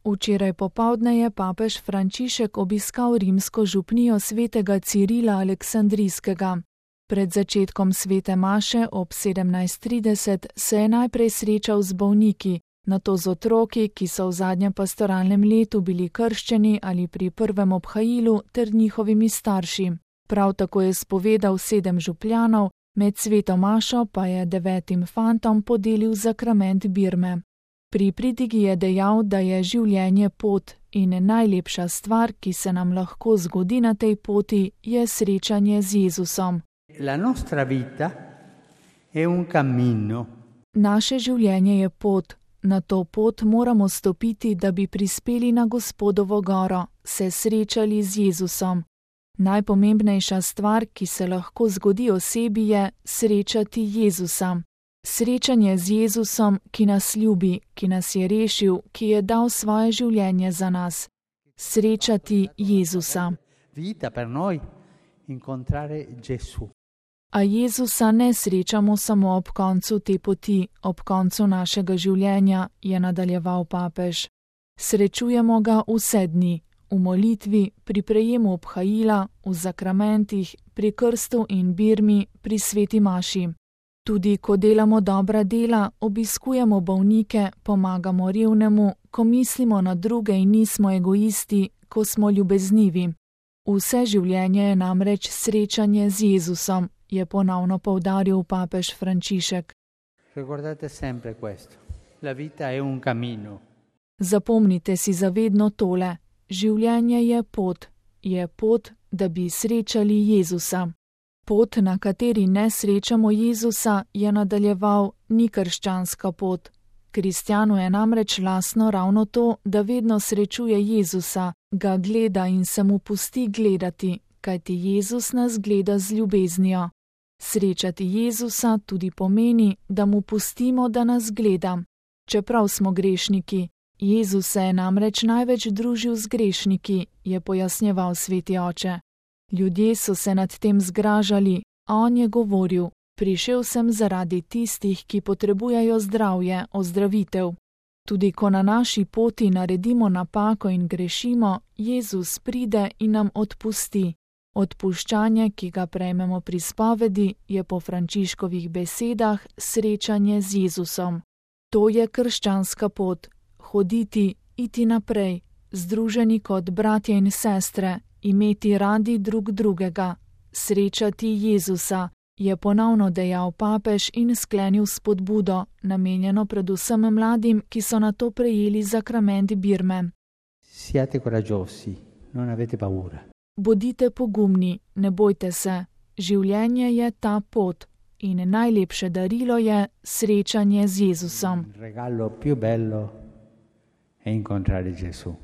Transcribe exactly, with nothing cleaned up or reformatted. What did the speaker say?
Včeraj popoldne je papež Frančišek obiskal rimsko župnijo svetega Cirila Aleksandrijskega. Pred začetkom svete maše ob sedemnajst trideset se je najprej srečal z bolniki, nato z otroki, ki so v zadnjem pastoralnem letu bili krščeni ali pri prvem obhajilu, ter njihovimi starši. Prav tako je spovedal sedem župljanov, med sveto mašo pa je devetim fantom podelil zakrament birme. Pri pridigi je dejal, da je življenje pot in najlepša stvar, ki se nam lahko zgodi na tej poti, je srečanje z Jezusom. La nostra vita è un cammino. Naše življenje je pot. Na to pot moramo stopiti, da bi prispeli na Gospodovo goro, se srečali z Jezusom. Najpomembnejša stvar, ki se lahko zgodi osebi, je srečati Jezusa. Srečanje z Jezusom, ki nas ljubi, ki nas je rešil, ki je dal svoje življenje za nas. Srečati Jezusa. Vita per noi, incontrare Gesù. A Jezusa ne srečamo samo ob koncu te poti, ob koncu našega življenja, je nadaljeval papež. Srečujemo ga vse dni, v molitvi, pri prejemu obhajila, v zakramentih, pri krstu in birmi, pri sveti maši. Tudi ko delamo dobra dela, obiskujemo bolnike, pomagamo revnemu, ko mislimo na druge in nismo egoisti, ko smo ljubeznivi. Vse življenje je namreč srečanje z Jezusom, je ponovno poudaril papež Frančišek. Ricordate sempre questo. La vita è un cammino. Zapomnite si zavedno tole. Življenje je pot. Je pot, da bi srečali Jezusa. Pot, na kateri ne srečamo Jezusa, je nadaljeval, ni krščanska pot. Kristjanu je namreč lastno ravno to, da vedno srečuje Jezusa, ga gleda in se mu pusti gledati, kajti Jezus nas gleda z ljubeznijo. Srečati Jezusa tudi pomeni, da mu pustimo, da nas gleda. Čeprav smo grešniki, Jezus se je namreč največ družil z grešniki, je pojasnjeval sveti oče. Ljudje so se nad tem zgražali, a on je govoril: prišel sem zaradi tistih, ki potrebujejo zdravje, ozdravitev. Tudi ko na naši poti naredimo napako in grešimo, Jezus pride in nam odpusti. Odpuščanje, ki ga prejmemo pri spovedi, je po Frančiškovih besedah srečanje z Jezusom. To je krščanska pot. Hoditi, iti naprej, združeni kot bratje in sestre, imeti radi drug drugega, srečati Jezusa, je ponovno dejal papež in sklenil spodbudo, namenjeno predvsem mladim, ki so nato prejeli zakrament birme. Siate coraggiosi, non avete paura. Bodite pogumni, ne bojte se, življenje je ta pot in najlepše darilo je srečanje z Jezusom. Il regalo più bello è incontrare Gesù.